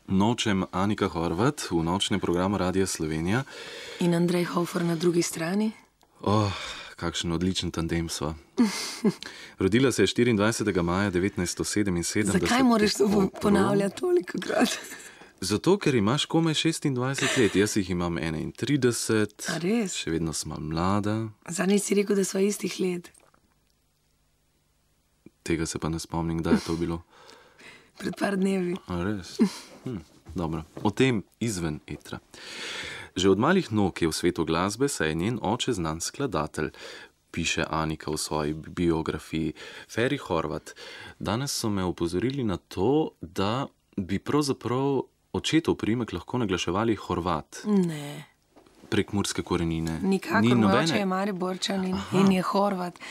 Nočem Anika Horvat v nočnem programu Radia Slovenija. In Andrej Hofer na drugi strani. Kakšen odličen tandem sva. Rodila se je 24. maja 1977. Zakaj moraš to ponavljati toliko krat? Zato, ker imaš komaj 26 let, jaz jih imam 31. A res? Še vedno sva mlada. Zadnjič si rekel, da sva istih let. Tega se pa ne spomnim, kdaj je to bilo. Pred par dnevi. A res? Dobro. O tem izven etra. Že od malih nog je v svetu glasbe, saj je njen oče znan skladatelj, piše Anika v svoji biografiji. Feri Horvat, danes so me opozorili na to, da bi pravzaprav očetov priimek lahko naglaševali Horvat. Ne. Prek murske korenine. Nikakor, moj oče je Mariborčan in je Horvat.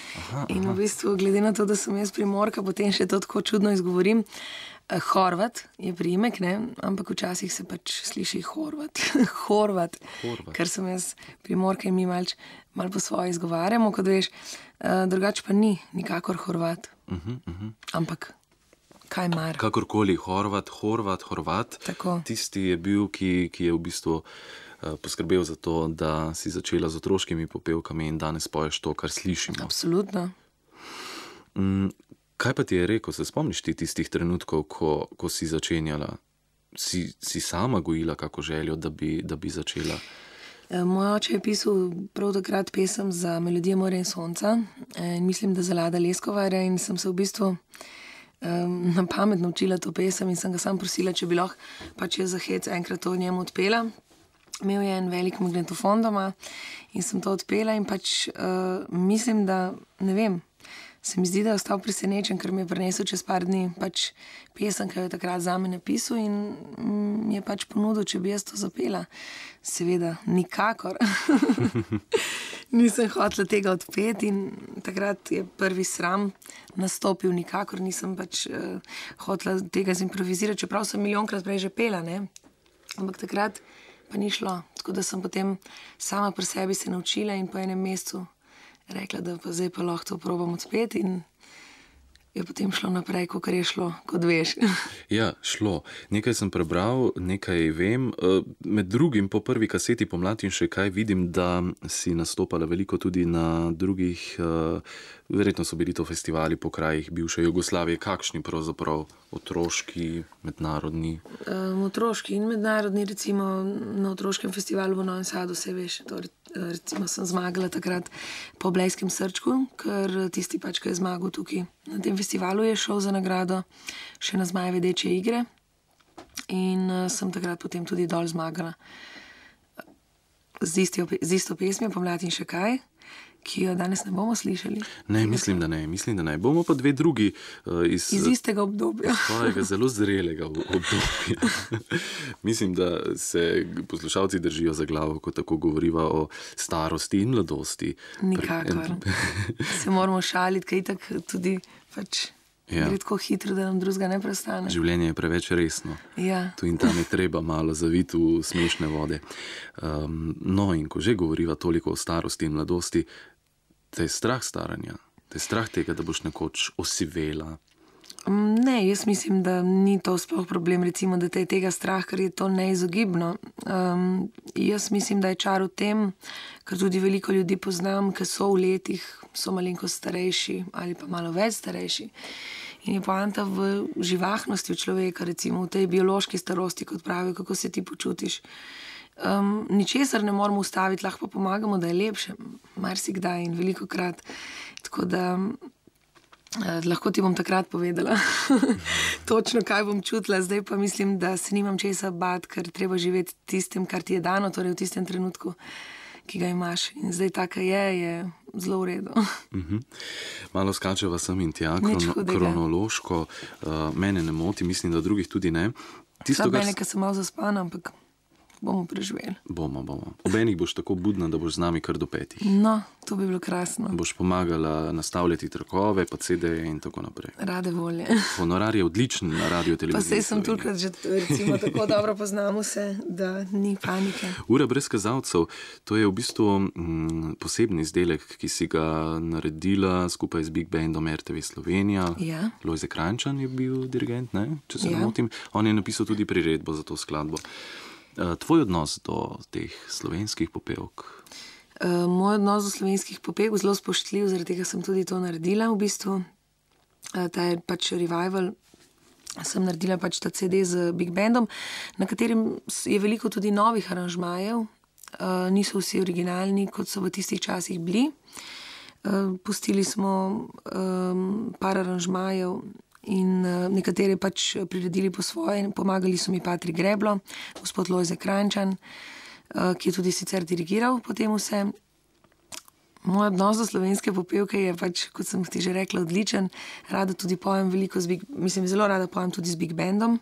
In v bistvu, glede na to, da sem jaz Primorka, potem še to tako čudno izgovorim. Horvat je priimek, ne? Ampak včasih se pač sliši Horvat. Horvat. Ker sem jaz Primorka in mi malo po svoje izgovarjamo, kot veš. Drugače pa ni nikakor Horvat. Ampak kaj mar? Kakorkoli, Horvat. Tako. Tisti je bil, ki je v bistvu poskrbel za to, da si začela z otroškimi popevkami in danes poješ to, kar slišimo. Absolutno. Kaj pa ti je rekel? Se spomniš ti tistih trenutkov, ko si začenjala? Si sama gojila kako željo, da bi začela? Moj oče je pisal prav takrat pesem za Melodije morja in sonca. In mislim, da za Lada Leskovarja, in sem se v bistvu na pamet naučila to pesem in sem ga sam prosila, če bi lahko pač jaz za hec enkrat to njemu odpela. Imel je en velik magnetofon doma in sem to odpela in pač mislim, da, ne vem, se mi zdi, da je ostal presenečen, ker mi je prinesel čez par dni pač pesem, ki jo je takrat zame napisal in mi je pač ponudil, če bi jaz to zapela. Seveda, nikakor. Nisem hotela tega odpeti in takrat je prvi sram nastopil, nikakor nisem pač hotela tega zimprovizirati, čeprav sem milijonkrat prej že pela, ne? Ampak takrat pa ni šlo, tako da sem potem sama pri sebi se naučila in po enem mesecu rekla, da pa zdaj pa lahko to probam odpeti in je potem šlo naprej, kakor je šlo, kot veš. Ja, šlo. Nekaj sem prebral, nekaj vem. Med drugim po prvi kaseti Pomlad in še kaj vidim, da si nastopala veliko tudi na drugih, verjetno so bili to festivali po krajih bivše Jugoslavije. Kakšni pravzaprav otroški, mednarodni? Otroški in mednarodni, recimo na otroškem festivalu v Novem Sadu, se veš, to recimo sem zmagala takrat po Blejskem srčku, ker tisti pač, ki je zmagal tukaj na tem festivalu, je šel za nagrado še na Zmajeve dečje igre in sem takrat potem tudi dol zmagala z isto pesmijo Pomlad in še kaj, ki jo danes ne bomo slišali. Ne, mislim, da ne. Bomo pa dve drugi iz istega obdobja. Svojega zelo zrelega obdobja. Mislim, da se poslušalci držijo za glavo, ko tako govoriva o starosti in mladosti. Nikakor. Se moramo šaliti, kaj tak tudi pač gre tako hitro, da nam drugega ne prestane. Življenje je preveč resno. Ja. Tu in tam je treba malo zaviti v smešne vode. No, in ko že govoriva toliko o starosti in mladosti, te je strah staranja? Te je strah tega, da boš nekoč osivela? Ne, jaz mislim, da ni to sploh problem, recimo, da te je tega strah, ker je to neizogibno. Jaz mislim, da je čar v tem, ker tudi veliko ljudi poznam, ki so v letih, so malenkost starejši ali pa malo več starejši. In je poanta v živahnosti v človeka, recimo v tej biološki starosti, kot pravijo, kako se ti počutiš. Ničesar ne moramo ustaviti, lahko pa pomagamo, da je lepše, marsikdaj in velikokrat. Tako da lahko ti bom takrat povedala točno, kaj bom čutila. Zdaj pa mislim, da se nimam česa bati, ker treba živeti tistim, kar ti je dano, torej v tistem trenutku, ki ga imaš. In zdaj taka je zelo v redu. Malo skačeva sem in tja, kronološko. Mene ne moti, mislim, da drugih tudi ne. Mene, ki sem malo zaspana, ampak bomo preživeli. Bomo. Obenih boš tako budna, da boš z nami kar do 5. No, to bi bilo krasno. Boš pomagala nastavljati trakove, pa CD-je in tako naprej. Rade volje. Honorar je odličen na radio televiziji. Pa sej sem tukaj že recimo tako dobro poznamo se, da ni panike. Ura brez kazalcev, to je v bistvu posebni izdelek, ki si ga naredila skupaj z Big Bandom RTV Slovenija. Ja. Lojze Kranjčan je bil dirigent, ne? Če se ne motim. On je napisal tudi priredbo za to skladbo. Tvoj odnos do teh slovenskih popevk? Moj odnos do slovenskih popevk zelo spoštljiv, zaradi tega sem tudi to naredila v bistvu. Ta je pač revival, sem naredila pač ta CD z Big Bandom, na katerem je veliko tudi novih aranžmajev. Niso vsi originalni, kot so v tistih časih bili. Pustili smo par aranžmajev in nekatere pač priredili po svoje. Pomagali so mi Patrik Greblo, gospod Lojze Kranjčan, ki je tudi sicer dirigiral potem vse. Moj odnos do slovenske popevke je pač, kot sem ti že rekla, odličen. Rada tudi pojem veliko zelo rada pojem tudi z Big Bandom.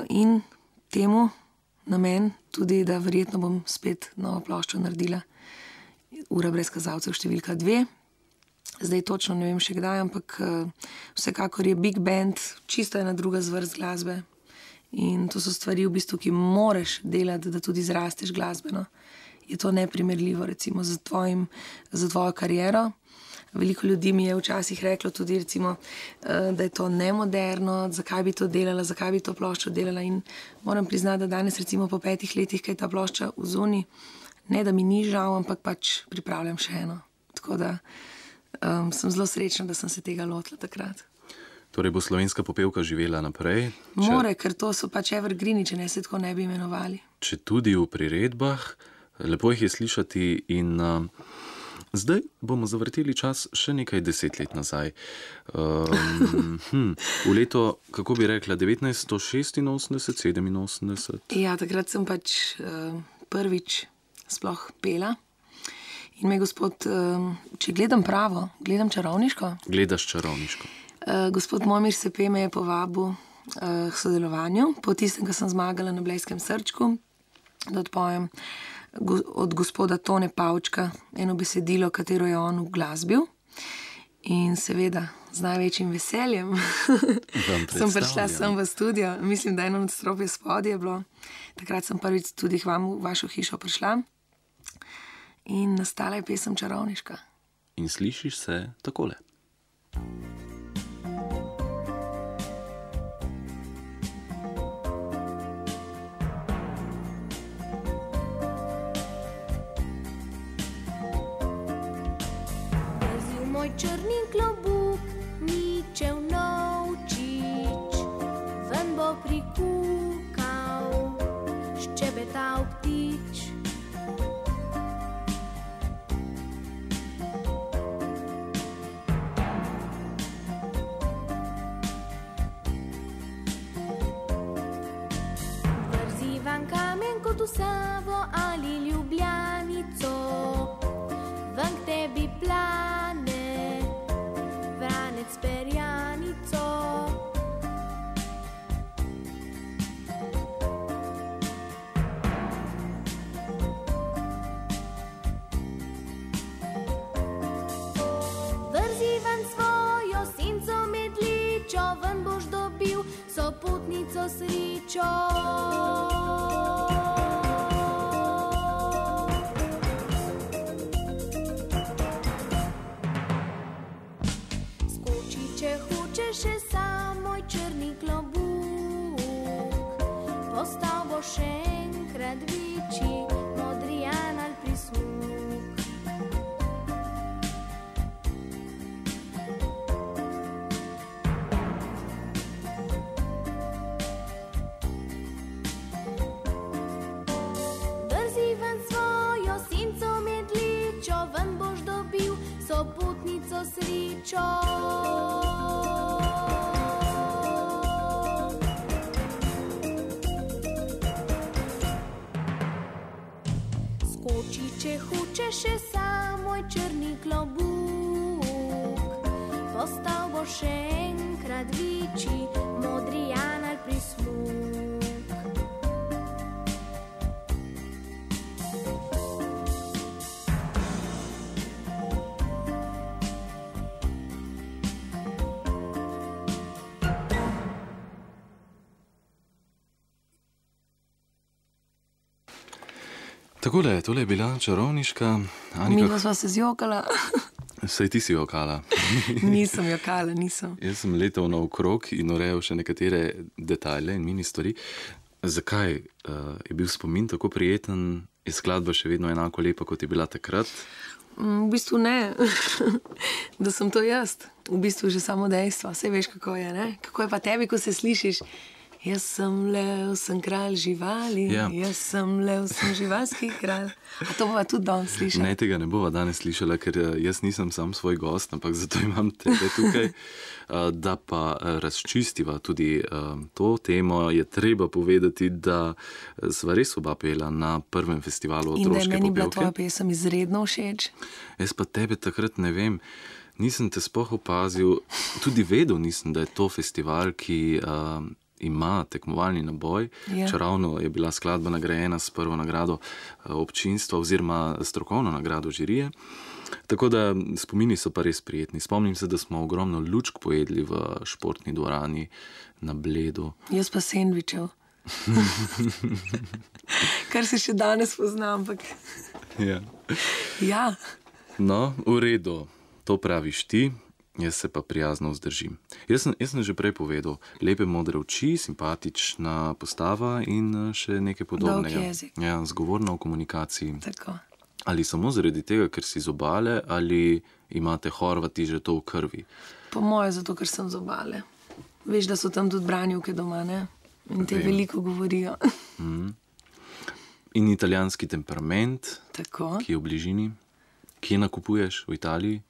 In temu namen tudi, da verjetno bom spet novo ploščo naredila. Ura brez kazalcev številka 2. Zdaj točno ne vem še kdaj, ampak vsekakor je Big Band čisto ena druga zvrst glasbe. In to so stvari v bistvu, ki moraš delati, da tudi zrasteš glasbeno. Je to neprimerljivo recimo z tvojo kariero. Veliko ljudi mi je včasih reklo tudi recimo, da je to nemoderno, zakaj bi to delala, zakaj bi to ploščo delala. In moram priznati, da danes recimo po 5 letih, kaj je ta plošča v zuni, ne da mi ni žal, ampak pač pripravljam še eno. Tako da sem zelo srečna, da sem se tega lotila takrat. Torej bo slovenska popevka živela naprej? More, ker to so pač evergreeni, če ne se tako ne bi imenovali. Če tudi v priredbah, lepo jih je slišati in zdaj bomo zavrteli čas še nekaj 10 let nazaj. V leto, kako bi rekla, 1986, 87? Ja, takrat sem pač prvič sploh pela. In me gospod, če gledam pravo, gledam čarovniško? Gledaš čarovniško. Gospod Momir Sepe me je povabil k sodelovanju, po tistem, ko sem zmagala na Blejskem srčku, da odpojem od gospoda Tone Pavčka eno besedilo, katero je on uglasbil. In seveda, z največjim veseljem sem prišla sem v studio. Mislim, da eno nadstropje spodje je bilo. Takrat sem prvič tudi k vam v vašo hišo prišla. In nastala je pesem Čarovniška. In slišiš se takole. Vrzil moj črni klobuk, ničev novčič, ven bo prikukal, ščebetal ptič. V Savo ali Ljubljanico, ven k tebi plane vranec perjanico. Vrzi ven svojo senco medličo, ven boš dobil sopotnico srečo. Še sam moj črni klobuk, postal bo še enkrat večji, modrijan ali prismuk. Vrzi ven svojo senco medličo, ven boš dobil sopotnico srečo. Če hoče še sam moj črni klobuk, postal bo še enkrat večji, modrijan ali prismuk. Takole, tole je bila čarovniška Mi Anika. sva se zjokala. Saj ti si jokala. Nisem jokala, nisem. Jaz sem letel naokrog in urejal še nekatere detajle in mini stvari. Zakaj je bil spomin tako prijeten? Je skladba še vedno enako lepa, kot je bila takrat? V bistvu ne, da sem to jaz. V bistvu že samo dejstvo. Saj veš, kako je, ne? Kako je pa tebi, ko se slišiš? Jaz sem lev, sem kralj živali, Ja. Jaz sem lev, sem živalski kralj. A to bova tudi danes slišala? Ne, tega ne bova danes slišala, ker jaz nisem sam svoj gost, ampak zato imam tebe tukaj. Da pa razčistiva tudi to temo, je treba povedati, da sva res oba pela na prvem festivalu In da je otroške meni bila tvoja popevke. pesem izredno všeč. Jaz pa tebe takrat ne vem, nisem te sploh opazil, tudi vedel nisem, da je to festival, ki ima tekmovalni naboj. Ja. Čeravno je bila skladba nagrajena s prvo nagrado občinstva oziroma strokovno nagrado žirije. Tako da spomini so pa res prijetni. Spomnim se, da smo ogromno lučk pojedli v športni dvorani na Bledu. Jaz pa sendvičev. Kar se še danes pozna, ampak Ja. ja. No, v redu, to praviš ti. Jaz se pa prijazno vzdržim. Jaz sem že prej povedal, lepe modre oči, simpatična postava in še nekaj podobnega. Dolg jezik. Ja, zgovorna v komunikaciji. Tako. Ali samo zaradi tega, ker si z Obale, ali imate Horvati že to v krvi? Po moje, zato ker sem z Obale. Veš, da so tam tudi branjevke doma, ne? In te Vem. veliko govorijo. In italijanski temperament, Tako. ki je v bližini. Kje nakupuješ? V Italiji?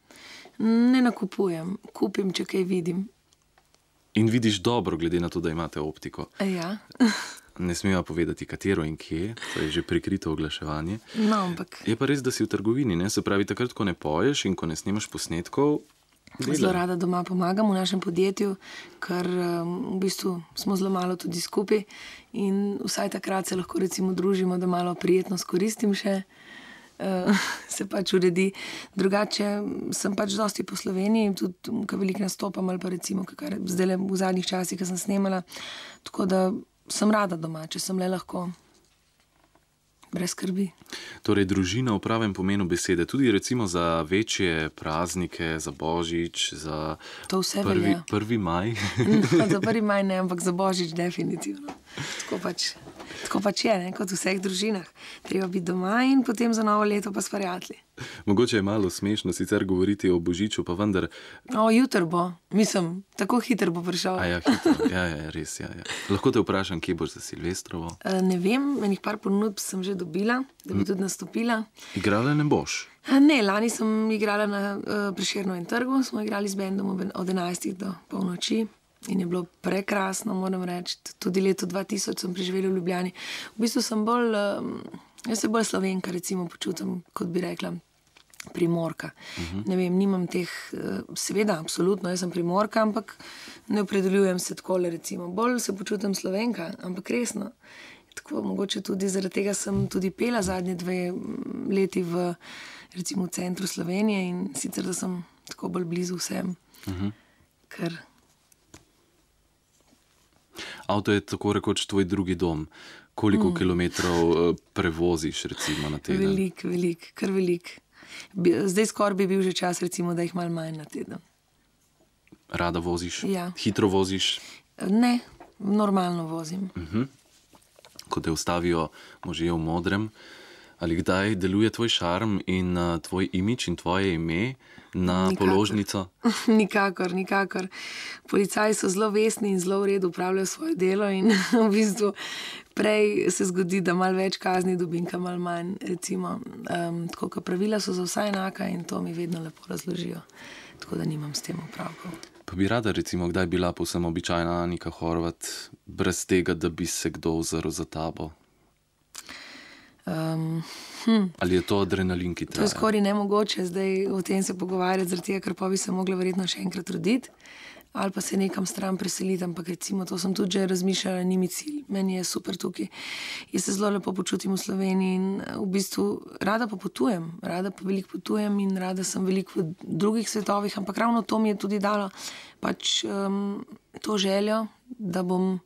Ne nakupujem, kupim, če kaj vidim. In vidiš dobro, glede na to, da imate optiko. Ja. Ne smeva povedati, katero in kje, to je že prikrito oglaševanje. No, ampak Je pa res, da si v trgovini, ne? Se pravi, takrat, ko ne poješ in ko ne snemaš posnetkov, zelo rada doma pomagam v našem podjetju, ker v bistvu smo zelo malo tudi skupaj in vsaj takrat se lahko recimo družimo, da malo prijetno skoristim še. Se pač uredi. Drugače sem pač dosti po Sloveniji, tudi ko veliko nastopam ali pa recimo, kar zdaj v zadnjih časih, ko sem snemala. Tako da sem rada doma, če sem le lahko. Brez skrbi. Torej, družina v pravem pomenu besede, tudi recimo za večje praznike, za Božič, za To vse velja. 1. maj. Za 1. maj ne, ampak za Božič definitivno. Tako pač je, ne, kot v vseh družinah. Treba biti doma in potem za novo leto pa s prijatelji. Mogoče je malo smešno sicer govoriti o Božiču, pa vendar, Jutr bo, mislim, tako hitro bo prišel. a ja, hitro, ja, res, ja. Lahko te vprašam, kje boš za Silvestrovo? Ne vem, enih par ponudb sem že dobila, da bi tudi nastopila. Igrala ne boš? Ne, lani sem igrala na Prešernovem trgu, smo igrali z bendom od 11 do polnoči in je bilo prekrasno, moram reči. Tudi leto 2000 sem preživela v Ljubljani. V bistvu sem bolj, jaz se bolj Slovenka recimo počutim, kot bi rekla, Primorka. Ne vem, nimam teh, seveda, absolutno, jaz sem Primorka, ampak ne opredeljujem se takole recimo. Bolj se počutim Slovenka, ampak resno. Tako, mogoče tudi zaradi tega sem tudi pela zadnje 2 leti v recimo v centru Slovenije in sicer, da sem tako bolj blizu vsem. Ker Avto je tako rekoč tvoj drugi dom. Koliko kilometrov prevoziš recimo na teden? velik, kar velik. Zdaj skoraj bi bil že čas recimo, da jih malo manj na teden. Rada voziš? Ja. Hitro voziš? Ne, normalno vozim. Ko te ustavijo možje v modrem, ali kdaj deluje tvoj šarm in tvoj imič in tvoje ime na Nikakor. položnico? Nikakor. Policaji so zelo vestni in zelo v redu upravljajo svoje delo in v bistvu prej se zgodi, da malo več kazni dobim, ka malo manj, recimo. Tako, ka pravila so za vsa enaka in to mi vedno lepo razložijo. Tako da nimam s tem opravkov. Pa bi rada recimo kdaj bila povsem običajna Anika Horvat, brez tega, da bi se kdo ozrl za tabo? Ali je to adrenalin, ki To traja? je skoraj nemogoče zdaj o tem se pogovarjati, zaradi tega, ker pa bi se mogla verjetno še enkrat roditi ali pa se nekam stran preseliti, ampak recimo to sem tudi že razmišljala, ni mi cilj. Meni je super tukaj. Jaz se zelo lepo počutim v Sloveniji in v bistvu rada pa potujem, rada pa veliko potujem in rada sem veliko v drugih svetovih, ampak ravno to mi je tudi dalo pač to željo, da bom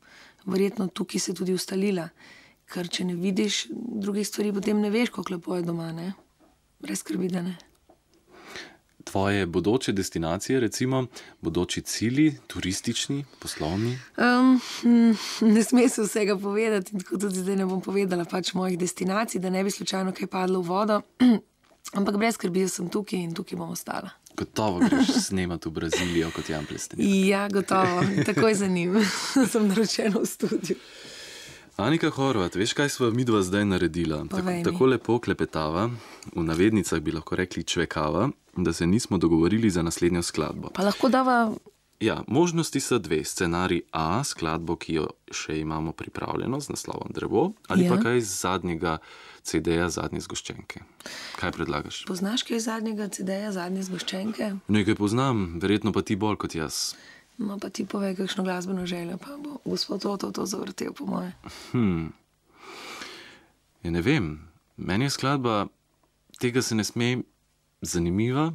verjetno tukaj se tudi ustalila. ker če ne vidiš drugih stvari, potem ne veš, kako lepo je doma, ne? Brez skrbi, da ne. Tvoje bodoče destinacije, recimo, bodoči cilji, turistični, poslovni? Ne sme se vsega povedati in tako tudi zdaj ne bom povedala pač mojih destinacij, da ne bi slučajno kaj padlo v vodo. Ampak brez skrbi, jaz sem tukaj in tukaj bom ostala. Gotovo greš snemati v Brazilijo kot Jan Plestenjak. Ja, gotovo. Takoj za njim. Sem naročena v studiu. Anika Horvat, veš, kaj sva midva zdaj naredila? Tako lepo klepetava, v navednicah bi lahko rekli čvekava, da se nismo dogovorili za naslednjo skladbo. Pa lahko dava... Ja, možnosti so dve. Scenarij A, skladbo, ki jo še imamo pripravljeno z naslovom Drevo, ali pa kaj iz zadnjega CD-ja Zadnje zgoščenke. Kaj predlagaš? Poznaš kaj iz zadnjega CD-ja Zadnje zgoščenke? Nekaj poznam, verjetno pa ti bolj kot jaz. No, pa ti povej, kakšno glasbeno željo, pa bo gospod to zavrtel, po moje. Ja, ne vem. Meni je skladba Tega se ne sme zanimiva,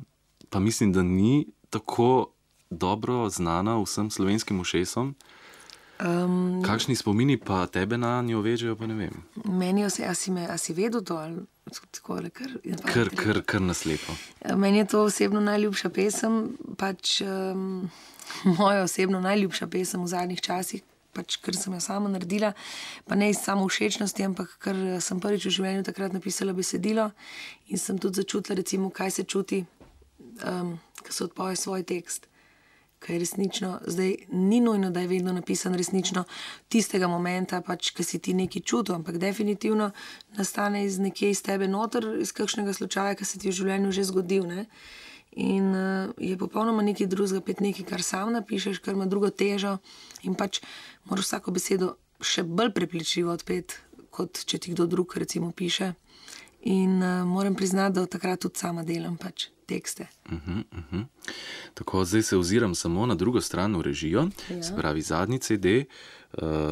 pa mislim, da ni tako dobro znana vsem slovenskim ušesom. Kakšni spomini pa tebe na njo vežejo, pa ne vem. Meni a si vedel to? Ali takole, kar naslepo. Meni je to osebno najljubša pesem, pač moja osebno najljubša pesem v zadnjih časih, pač ker sem jo sama naredila, pa ne iz samo všečnosti, ampak ker sem prvič v življenju takrat napisala besedilo in sem tudi začutila, recimo, kaj se čuti, ko se odpoje svoj tekst. Kaj je resnično, zdaj ni nujno, da je vedno napisan resnično tistega momenta, pač, ki si ti nekaj čutil, ampak definitivno nastane iz nekje iz tebe noter, iz kakšnega slučaja, ki se ti v življenju že zgodil, ne? In je popolnoma nekaj drugega, pet nekaj, kar sam napišeš, kar ima drugo težo in pač moraš vsako besedo še bolj prepričljivo odpeti, kot če ti kdo drug recimo piše. In moram priznati, da od takrat tudi sama delam pač tekste. Tako, zdaj se oziram samo na drugo stran v režijo, se pravi zadnji CD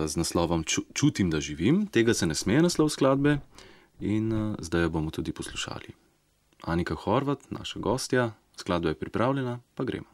z naslovom Čutim, da živim. Tega se ne sme naslov skladbe in zdaj jo bomo tudi poslušali. Anika Horvat, naša gostja, skladba je pripravljena, pa gremo.